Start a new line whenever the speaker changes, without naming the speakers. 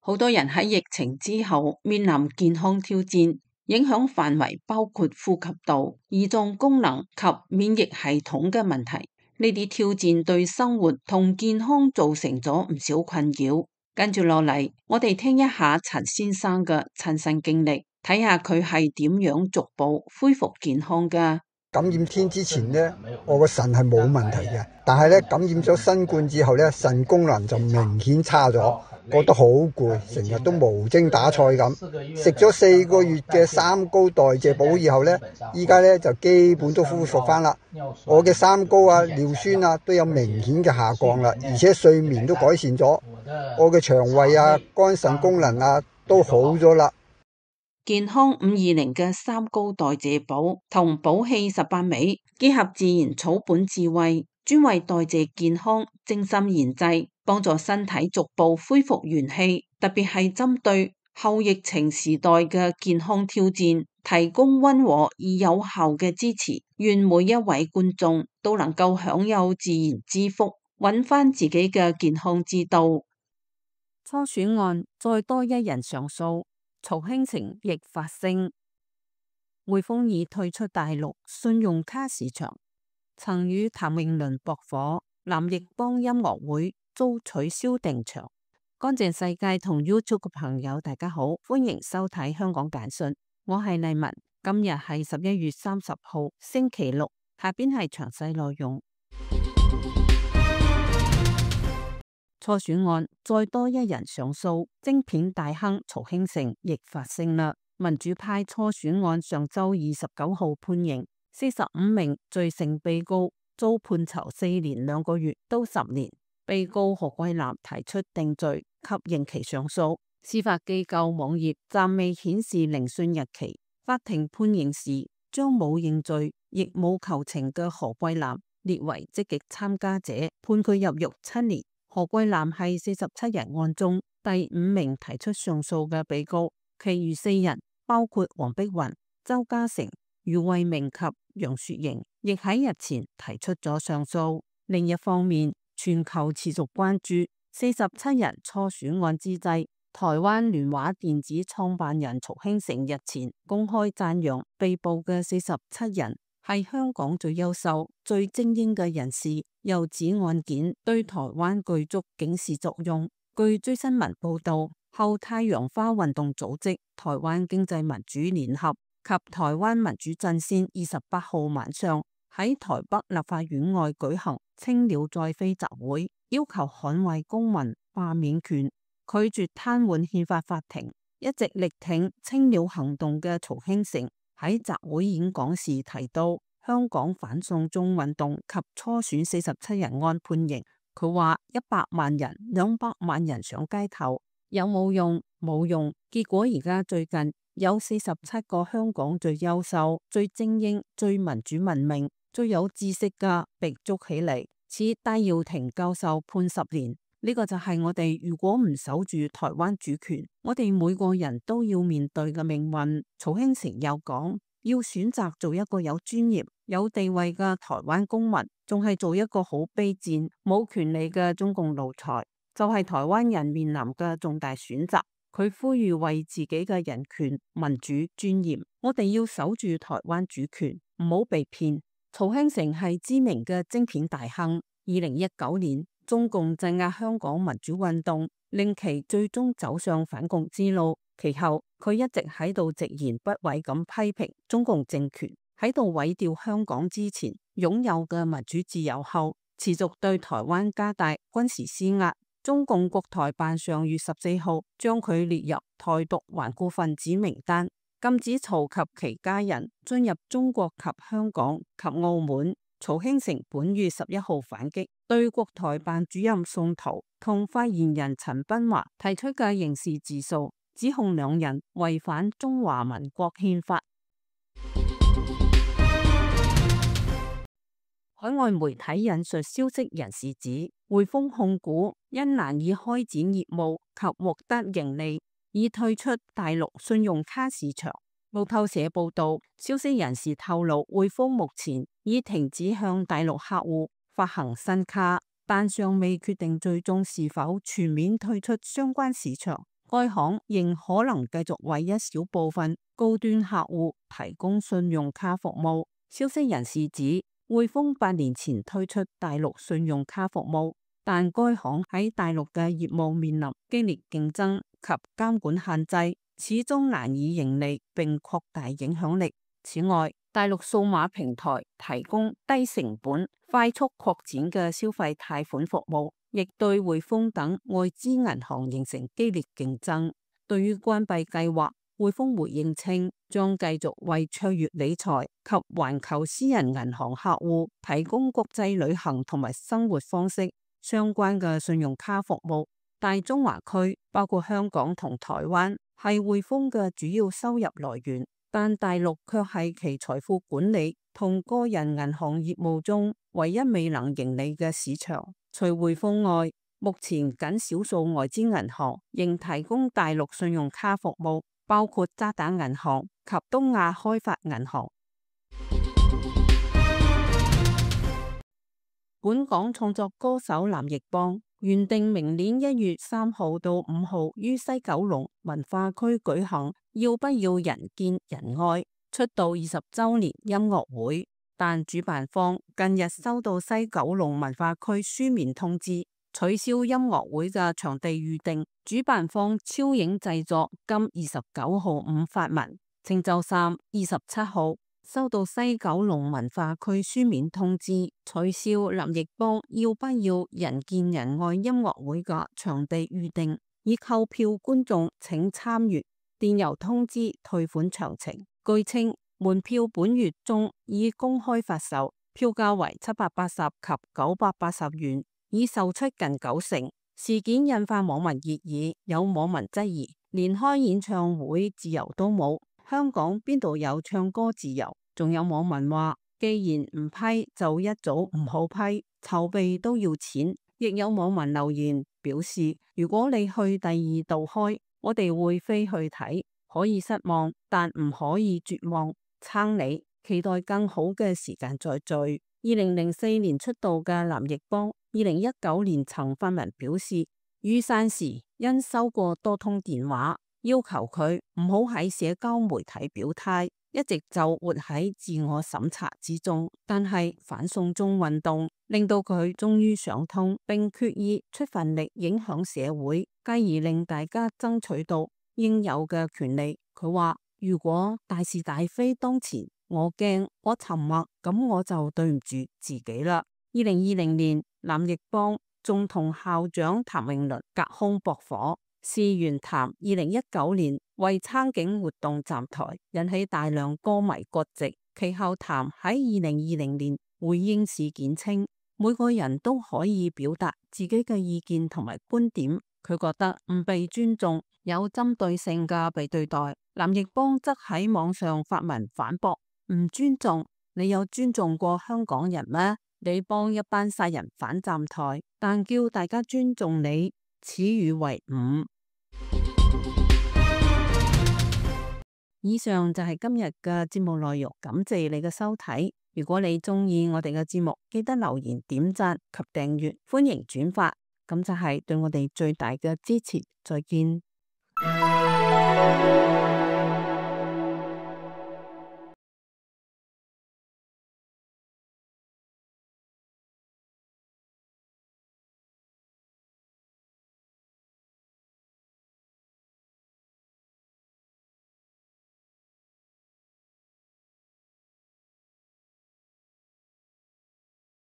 好多人喺疫情之後面臨健康挑戰，影響範圍包括呼吸道、胰臟功能及免疫系統嘅問題。呢啲挑戰對生活同健康造成咗唔少困擾。跟住落嚟，我哋聽一下陳先生嘅親身經歷，睇下佢係點樣逐步恢復健康㗎。
感染天之前呢，我個腎係冇問題嘅，但係咧感染咗新冠之後咧，腎功能就明顯差咗，覺得好攰，成日都無精打采咁。食咗4個月嘅三高代謝補以後咧，依家咧就基本都恢復翻啦。我嘅三高啊、尿酸啊都有明顯嘅下降啦，而且睡眠都改善咗，我嘅腸胃啊、肝腎功能啊都好咗啦。
健康520嘅三高代謝補同補氣18味，結合自然草本智慧，專為代謝健康精心研製，幫助身體逐步恢復元氣，特別係針對後疫情時代嘅健康挑戰，提供溫和而有效嘅支持。願每一位觀眾都能夠享有自然之福，揾翻自己嘅健康之道。
初選案再多一人上訴。曹興誠亦發聲，匯豐已退出大陸信用卡市場，曾與譚詠麟駁火，藍奕邦音樂會遭取消訂場。乾淨世界同 YouTube 嘅朋友大家好，歡迎收睇香港簡訊，我係麗文，今日係11月30號星期六，下邊係詳細內容。初選案再多一人上訴，晶片大亨曹興誠亦發聲啦。民主派初選案上周29號判刑，45名罪成被告遭判囚4年2個月到10年。被告何桂藍提出定罪及刑期上訴，司法機構網頁暫未顯示聆訊日期。法庭判刑時將冇認罪亦冇求情嘅何桂藍列為積極參加者，判佢入獄7年。何桂藍係47人案中第5名提出上訴嘅被告，其餘4人包括黃碧雲、周家成、余慧明及楊雪瑩，亦喺日前提出咗上訴。另一方面，全球持續關注47人初選案之際，台灣聯華電子創辦人曹興誠日前公開讚揚被捕嘅47人係香港最優秀、最精英嘅人士，又指案件對台灣具足警示作用。據追新聞報道，後太陽花運動組織、台灣經濟民主聯合及台灣民主陣線28號晚上喺台北立法院外舉行青鳥再飛集會，要求捍衛公民罷免權，拒絕癱瘓憲法法庭。一直力挺青鳥行動嘅曹興誠喺集會演講時提到，香港反送中運動及初選47人案判刑，佢話100萬人、200萬人上街頭有冇用？冇用。結果而家最近有47個香港最優秀、最精英、最民主文明、最有知識嘅被捉起嚟，似戴耀廷教授判10年。呢個就係我哋如果唔守住台灣主權，我哋每個人都要面對嘅命運。曹興誠又講，要選擇做一個有專業、有地位嘅台灣公民，仲係做一個好卑賤、冇權利嘅中共奴才，就係台灣人面臨嘅重大選擇。佢呼籲為自己嘅人權、民主、尊嚴，我哋要守住台灣主權，唔好被騙。曹興誠係知名嘅晶片大亨。2019年，中共鎮壓香港民主運動，令其最終走上反共之路。其後，佢一直喺度直言不諱咁批評中共政權，喺度毀掉香港之前擁有嘅民主自由後，持續對台灣加大軍事施壓。中共國台辦上月14號將佢列入台獨頑固分子名單，禁止曹及其家人進入中國及香港及澳門。曹興誠本月11號反擊，對國台辦主任宋濤同發言人陳斌華提出嘅刑事自訴，指控兩人違反中華民國憲法。海外媒體引述消息人士指，匯豐控股因難以開展業務及獲得盈利，而已退出大陸信用卡市場。路透社報道，消息人士透露，匯豐目前已停止向大陸客戶發行新卡，但尚未決定最終是否全面退出相關市場。該行仍可能繼續為一小部分高端客戶提供信用卡服務。消息人士指，匯豐8年前推出大陸信用卡服務，但該行喺大陸嘅業務面臨激烈競爭及監管限制，始終難以盈利並擴大影響力。此外，大陸數碼平台提供低成本、快速擴展嘅消費貸款服務，亦對匯豐等外資銀行形成激烈競爭。對於關閉計劃，匯豐回應稱，將繼續為卓越理財及環球私人銀行客戶提供國際旅行同埋生活方式相關嘅信用卡服務。大中華區包括香港同台灣係匯豐嘅主要收入來源，但大陸卻係其財富管理同個人銀行業務中唯一未能盈利嘅市場。除匯豐外，目前僅少數外資銀行仍提供大陸信用卡服務，包括渣打銀行及東亞開發銀行。本港創作歌手藍奕邦原定明年1月3號到5號於西九龍文化區舉行要不要人見人愛出道20週年音樂會，但主辦方近日收到西九龍文化區書面通知，取消音樂會嘅場地預定。主辦方超影製作今29號午發文，稱周三27號收到西九龍文化區書面通知，取消藍奕邦要不要人見人愛音樂會嘅場地預定，已購票觀眾請參閱電郵通知退款詳情。據稱，門票本月中已公開發售，票價為780及980元，已售出近90%。事件引發網民熱議，有網民質疑，連開演唱會自由都冇，香港邊度有唱歌自由？仲有網民話，既然唔批就一早唔好批，籌備都要錢。亦有網民留言表示，如果你去第2度開，我哋會飛去睇，可以失望，但唔可以絕望，撐你，期待更好嘅時間再聚。2004年出道嘅藍奕邦，2019年曾發文表示，雨傘時因收過多通電話，要求佢唔好喺社交媒體表態，一直就活喺自我審查之中。但係反送中運動令到佢終於想通，並決意出份力影響社會，繼而令大家爭取到應有嘅權利。佢話，如果大是大非當前，我驚我沉默，咁我就對唔住自己啦。2020年，藍奕邦仲同校長譚詠麟隔空駁火。事緣譚2019年為撐警活動站台，引起大量歌迷割席。其後譚喺2020年回應事件稱，每個人都可以表達自己嘅意見同埋觀點，佢覺得唔被尊重，有針對性嘅被對待。藍奕邦則喺網上發文反駁，唔尊重，你有尊重過香港人咩？你幫一班殺人犯站台，但叫大家尊重你，此語為伍。以上就係今日嘅節目內容，感謝你嘅收睇。如果你中意我哋嘅節目，記得留言、點讚及訂閱，歡迎轉發，咁就係對我哋最大嘅支持。再見。